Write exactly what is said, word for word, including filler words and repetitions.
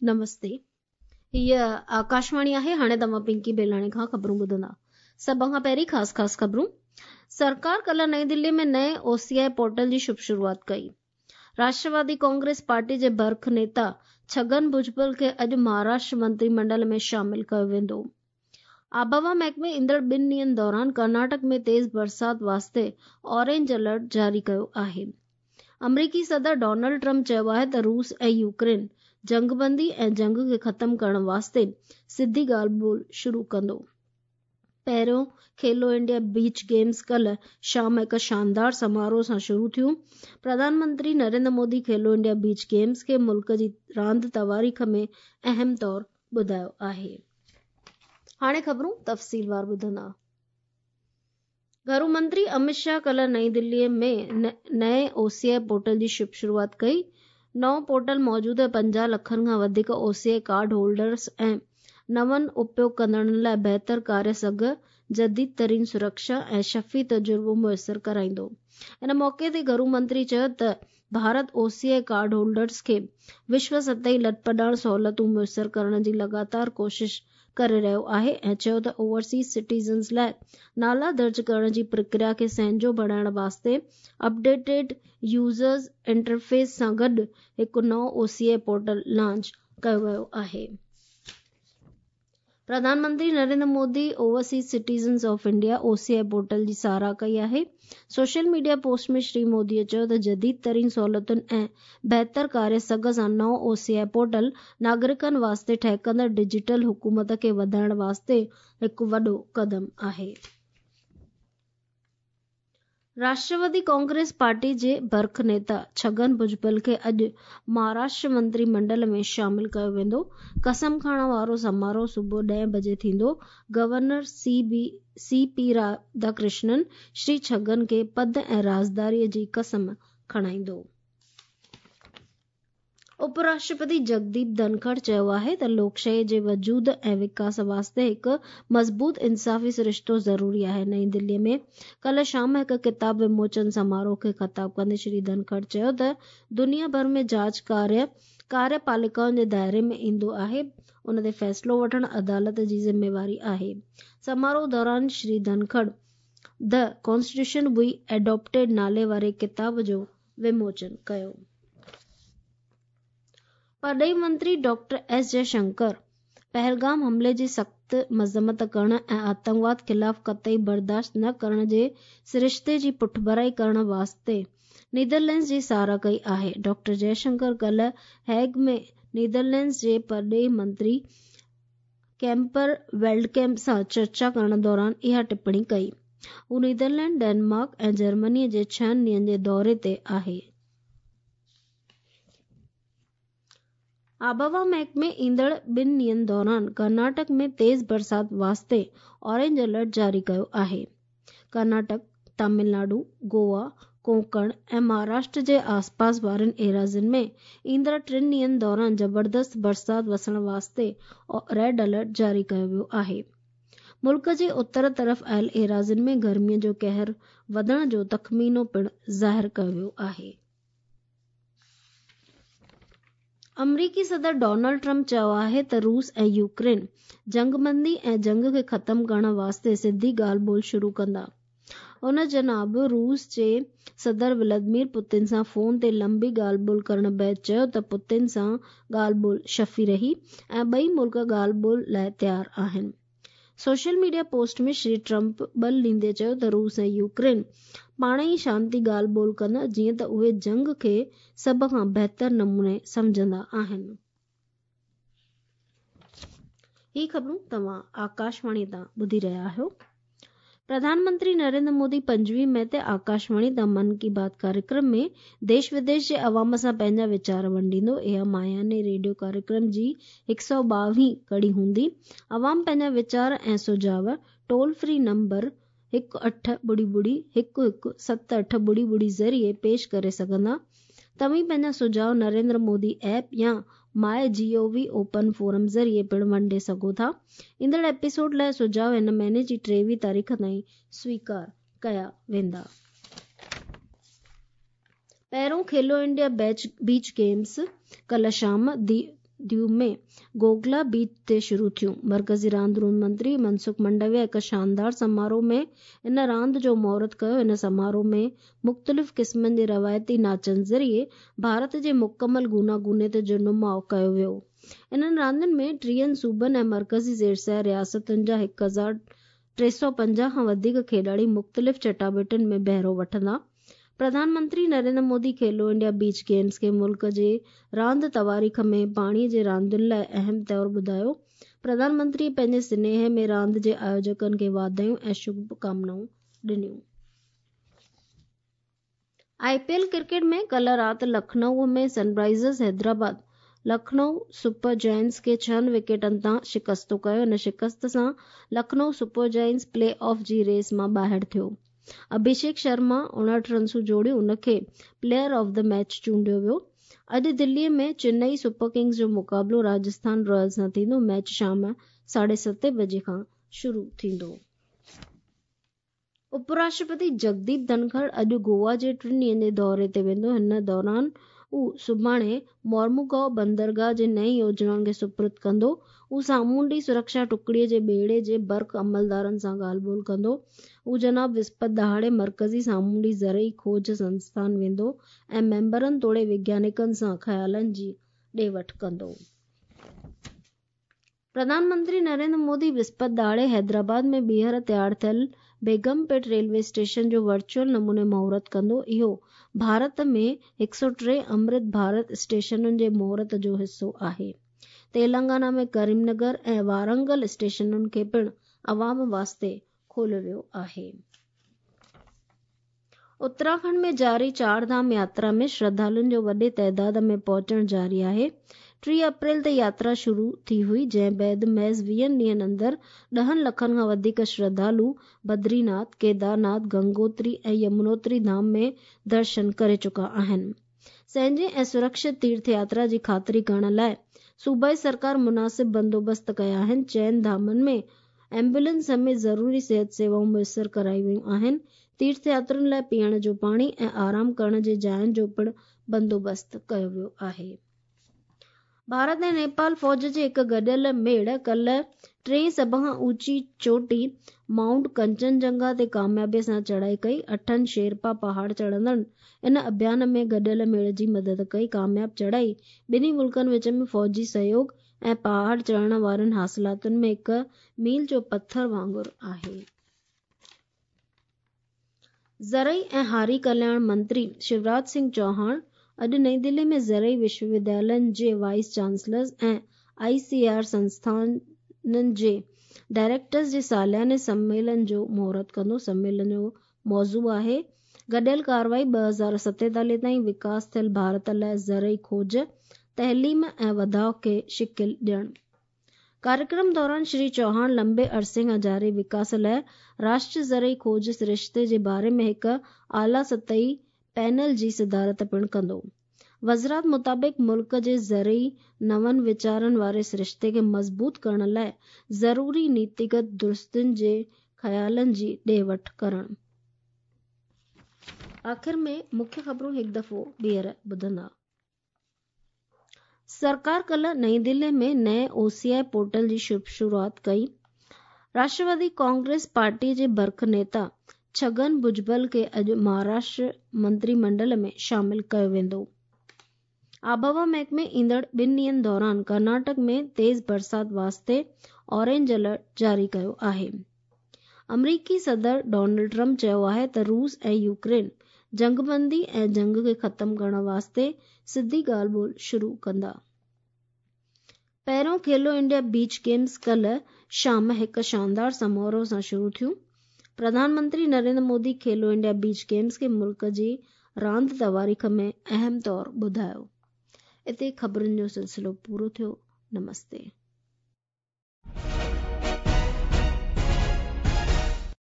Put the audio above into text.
नमस्ते, हीअ आकाशवाणी आहे। हाणे तव्हां पिंकी बेलाणे खां ख़बरूं ॿुधंदा। सभ खां पहिरीं ख़ासि ख़ासि ख़बरूं। सरकार कल्ह नई दिल्ली में नए ओसीआई पोर्टल जी शुभ शुरुआत कई। राष्ट्रवादी कांग्रेस पार्टी जे बर्ख नेता छगन भुजबल खे अॼु महाराष्ट्र मंत्रिमंडल में शामिल कयो वेंदो। आबहवा महकमे ईंदड़ ॿिनि ॾींहंनि दौरान कर्नाटक में तेज़ बरसात वास्ते ऑरेंज अलर्ट जारी कयो आहे। अमरीकी सदर डोनाल्ड ट्रंप चयो आहे त रूस ऐं यूक्रेन जंगबंदी ऐं जंग खे ख़तम करण वास्ते सिधी ॻाल्हि ॿोल शुरू कंदो। पहिरियों खेलो इंडिया बीच गेम्स कल्ह शाम हिकु शानदार समारोह सां शुरू थियूं। प्रधानमंत्री नरेंद्र मोदी खेलो इंडिया बीच गेम्स खे मुल्क जी रांदि तवारीख़ में अहम तौर ॿुधायो आहे। हाणे ख़बरूं तफ़सीलवार ॿुधंदा। घरू मंत्री अमित शाह कल्ह नई दिल्लीअ में नए ओसीआई पोर्टल जी शुभ शुरुआत कई। नओं पोर्टल मौजूदा पंजाह लखनि खां वधीक ओसीआई कार्ड होल्डर्स ऐं नवनि उपयोग कंदड़नि लाइ बहितर कार्य सघ, जदीद तरीन सुरक्षा ऐं शफ़ी तजुर्बो मुयसर कराईंदो। इन मौक़े ते घरू मंत्री चयो त भारत ओसीआई कार्ड होल्डर्स खे विश्व सतही लटपॾाण सहूलियतूं मुयसर करण जी लगातार कोशिश करे रहियो आहे ऐं चयो त ओवरसीज़ सिटीजन्स लाइ नाला दर्ज करण जी प्रक्रिया खे सहंजो बणाइण वास्ते अपडेटेड यूज़र्स इंटरफेस सां गॾु हिकु नओं ओसीआई पोर्टल लॉन्च कयो वियो आहे। प्रधानमंत्री Narendra Modi overseas citizens of India OCI portal जी सराह कई आहे। सोशल मीडिया पोस्ट में श्री मोदीअ चयो त जदीद तरीन सहूलियतुनि ऐं बहितर कार्य सघ सां नओं ओसीआई पोर्टल नागरिकनि वास्ते ठहकंदड़ डिजिटल हुकूमत खे वधाइण वास्ते हिकु वॾो क़दम आहे। राष्ट्रवादी कांग्रेस पार्टी जे बर्ख नेता छगन भुजबल खे अॼु महाराष्ट्र मंत्रिमंडल में शामिल कयो वेंदो। कसम खणण वारो समारोह सुबुह ॾहें बजे थींदो। Governor C B C P Radhakrishnan Shri Chhagan खे पद ऐं राज़दारीअ जी कसम खणाईंदो। उपराष्ट्रपति जगदीप धनखड़ चयो आहे त लोकशाही जे वजूद ऐं विकास वास्ते हिकु मज़बूत इंसाफ़ी सरिश्तो ज़रूरी आहे। नई दिल्लीअ में कल्ह शाम हिकु किताब विमोचन समारोह खे ख़िताब कंदे श्री धनखड़ चयो त दुनिया भर में जांच कार्य कार्यपालिकाउनि जे दायरे में ईंदो आहे, उन ते फ़ैसिलो वठणु अदालत जी ज़िम्मेवारी आहे। समारोह दौरान Shri Dhankhar the constitution we adopted नाले वारे किताब जो विमोचन कयो। परॾेही मंत्री डॉक्टर एस जयशंकर पहलगाम हमले जी सख़्त मज़म्मत करण ऐं आतंकवाद ख़िलाफ़ क़तई बर्दाश्त न करण जे सरिश्ते जी पुठभराई करण वास्ते नीदरलैंड्स जी सराह कई आहे। डॉक्टर जयशंकर कल्ह हेग में नीदरलैंड्स जे परॾेही मंत्री कैम्पर वेल्डकैम्प सां चर्चा करण दौरान इहा टिप्पणी कई। हू नीदरलैंड, डेनमार्क ऐं जर्मनी जे छहनि ॾींहंनि जे दौरे ते आहे। आबहवा महकमे ईंदड़ ॿिनि ॾींहंनि दौरान कर्नाटक में तेज़ बरसात वास्ते ऑरेंज अलर्ट जारी कयो आहे। कर्नाटक, तमिलनाडु, गोवा, कोंकण ऐं महाराष्ट्र जे आसपास वारनि एराज़ियुनि में ईंदड़ टिनि ॾींहंनि दौरान ज़बरदस्त बरसात वसण वास्ते रेड अलर्ट जारी कयो वियो आहे। मुल्क जे उत्तर तरफ़ आयल एराज़ियुनि में गर्मीअ जो कहर वधण जो तख़मीनो पिणु ज़ाहिर कयो वियो आहे। अमरीकी सदर डोनाल्ड ट्रंप चयो आहे त रूस ऐं यूक्रेन जंगबंदी ऐं जंग खे ख़तम करण वास्ते सिधी ॻाल्हि ॿोल शुरू कंदा। उन जनाब रूस जे सदर व्लादिमीर पुतिन सां फ़ोन ते लंबी ॻाल्हि ॿोल करण बाद चयो त पुतिन सां ॻाल्हि ॿोल शफ़ी रही ऐं ॿई मुल्क ॻाल्हि ॿोल लाइ तयारु आहिनि। Social media post में श्री ट्रंप बल ॾींदे चयो त रूस ऐं यूक्रेन पाण ई शांति ॻाल्हि ॿोल कंदा, जीअं त उहे जंग खे सभ खां बहितर नमूने सम्झंदा आहिनि। ही ख़बरूं तव्हां आकाशवाणी तां ॿुधी रहिया आहियो। प्रधानमंत्री नरेंद्र मोदी पंजवीह मई ते आकाशवाणी तां मन की बात कार्यक्रम में देश विदेश जे अवाम सां पंहिंजा वीचार वंडींदो। इहा माहियाने रेडियो कार्यक्रम जी हिकु सौ ॿावीह कड़ी हूंदी। अवाम पंहिंजा वीचार ऐं सुझाव टोल फ्री नंबर हिकु अठ ॿुड़ी ॿुड़ी हिकु हिकु सत अठ ॿुड़ी ॿुड़ी ज़रिए पेश करे सघंदा। तव्हीं पंहिंजा सुझाव नरेंद्र मोदी ऐप या my G O V open forum ज़रिए पिणु वंडे सघो था। ईंदड़ एपिसोड लाइ सुझाव हिन महीने जी टेवीह तारीख़ ताईं स्वीकार कया वेंदा। पहिरियों खेलो इंडिया बीच गेम्स कल्ह शाम ديو ۾ گوگلا بيچ تي شروع ٿيون. مرڪزي راند روند منتري منسک منڊويا هڪ شاندار سماروهه ۾ ان راند جو مهورت ڪيو. ان سماروهه ۾ مختلف قسمن جي روايتي ناچن ذريعي ڀارت جي مڪمل گوناگونيت جو نماءُ ڪيو ويو. انهن راندين ۾ ٽيهن صوبن ۽ مرڪزي زيرسايه رياستن جا هڪ هزار ٽي سؤ پنجاهه کان وڌيڪ کيڏاڙي مختلف چٽاڀيٽين ۾ بهرو وٺندا. پرڌان منتري Narendra Modi Khelo India beach games کي ملڪ جي راند تواريخ ۾ پاڻيءَ جي راندين لاءِ اهم طور ٻڌايو. پرڌان منتري پنهنجي سنيهي ۾ راند جي آيوجڪن کي واڌايون ۽ شڀڪامنائون ڏنيون. I P L cricket ۾ ڪلهه رات Lucknow ۾ Sunrisers Hyderabad Lucknow super giants کي ڇهن وڪيٽن تان شڪست ڪيو. ان شڪست سان Lucknow super giants play off جي ريس مان ٻاهر ٿيو. اڀيشيڪ شرما اڻهٺ رنسون جوڙيون، ان کي پليئر آف the match چونڊيو ويو. اڄ دليءَ ۾ چنئي سپر ڪنگز جو مقابلو راجسٿان رائلز سان ٿيندو. ميچ شام ساڍي ستين بجي کان شروع ٿيندو. اپراشٽرپتي جگديپ ڌنکڙ اڄ گوا جي ٽن ڏينهن جي دوري تي ويندو. هن دوران هو سڀاڻي مورموگائو بندرگاهه جي نئين يوجنائن کي سپرد ڪندو. هو سامونڊي سرڪشا ٽڪڙيءَ جي ٻيڙي جي برک عملدارن سان ڳالهه ٻولهه ڪندو. هو جناب وسپت ڏهاڙي مرڪزي سامونڊي زرعي کوج سنسٿان ويندو ۽ ميمبرن توڙي وگيانڪن سان خيالن جي ڏي وٺ ڪندو. پرڌان منتري نريندر مودي وسپت ڏهاڙي حيدرآباد ۾ ٻيهر تيار ٿيل بيگم پيٽ ريلوي اسٽيشن جو ورچوئل نموني مهورت ڪندو. اهو ڀارت ۾ هڪ سؤ ٽي امرت ڀارت اسٽيشنن جي مهورت جو حصو آهي. تيلنگانا ۾ ڪريم نگر ۽ وارنگل اسٽيشنن کي پڻ عوام واسطي کوليو ويو آهي. اتراکنڊ ۾ جاري چار ڌام ياترا ۾ شرڌالن جو وڏي تعداد ۾ پهچڻ جاري آهي. ٽيهه اپريل تي ياترا شروع ٿي هئي، جنهن بعد محض ويهن ڏينهن اندر ڏهن لکن کان وڌيڪ شرڌالو بدريناٿ، ڪيدارناٿ، گنگوتري ۽ يمنوتري ڌام ۾ درشن ڪري چڪا آهن. سهنجي ۽ سرڪشت تيرٿ ياترا جي خاطري ڪرڻ لاءِ صوبائي سرڪار مناسب بندوبست ڪيا آهن. چئن ڌامن ۾ ايمبولينس سميت ضروري صحت سيوائون ميسر ڪرايون ويون آهن. تيرٿ ياترين لاءِ پيئڻ جو پاڻي ۽ آرام ڪرڻ جي جاين جو پڻ بندوبست ڪيو ويو آهي. ڀارت ۽ نيپال فوج جي هڪ گڏيل ميڙ ڪلهه ٽئين سڀ کان اوچي چوٽي مائونٽ ڪنچنجنگا تي ڪاميابيءَ سان چڙهائي ڪئي. اٺن شيرپا پهاڙ چڙهندڙن ان اڀيان ۾ گڏيل ميڙ جي مدد ڪئي. ڪامياب چڙهائي ٻنهي ملڪن وچ ۾ فوجي سهيوگ ۽ پهاڙ چڙهڻ وارين حاصلاتن ۾ هڪ ميل جو پٿر وانگر آهي. زرعي ۽ هاري ڪلياڻ منتري شيوراج سنگهه چوهاڻ اڄ نئين دلي ۾ زرعي وشو وديالين جي vice chancellors ۽ I C R سنسٿانن جي ڊائريڪٽرز جي سالياني سميلن جو مهورت ڪندو. سميلن جو موضوع آهي گڏيل ڪارروائي ٻه هزار ستيتاليهه تائين وڪاس ٿيل ڀارت لاءِ زرعي کوج، تعليم ۽ وڌاءُ کي شڪل ڏيڻ. ڪاريڪرم دوران شري چوهاڻ لمبي عرصي کان جاري وڪاس لاءِ راشٽريه زرعي کوج سرشتي جي باري ۾ هڪ اعليٰ سطحي پينل جي صدارت پڻ ڪندو. وزارت مطابق ملڪ جي زرعي نون ويچارن واري سرشتي کي مضبوط ڪرڻ لاءِ ضروري نيتيگت درستين جي خيالن جي ڏي وٺ ڪرڻ. آخر ۾ مکيه خبرون هڪ دفعو ٻيهر ٻڌندا. سرڪار ڪلهه نئين دلي ۾ نئين او سي I portal جي شروعات ڪئي. راشٽروادي ڪانگريس پارٽي جي برک نيتا ڇگن ڀجبل کي اڄ مهاراشٽر منتري منڊل ۾ شامل ڪيو ويندو. آبهوا محڪمي ايندڙ ٻن ڏينهن دوران ڪرناٽڪ ۾ تيز برسات واسطي اورينج الرٽ جاري ڪيو آهي. آمريڪي صدر ڊونلڊ ٽرمپ چيو آهي ته روس ۽ يوڪرين جنگبندي ۽ جنگ کي ختم ڪرڻ واسطي سڌي ڳالهه ٻولهه شروع ڪندا. پهريون کيلو انڊيا بيچ گيمز ڪلهه شام هڪ شاندار سماروهه سان شروع ٿيون. پرڌان منتري Narendra Modi Khelo India beach games کي ملڪ جي راند تواريخ ۾ اهم طور ٻڌايو. اتي خبرن جو سلسلو پورو ٿيو. نمستي.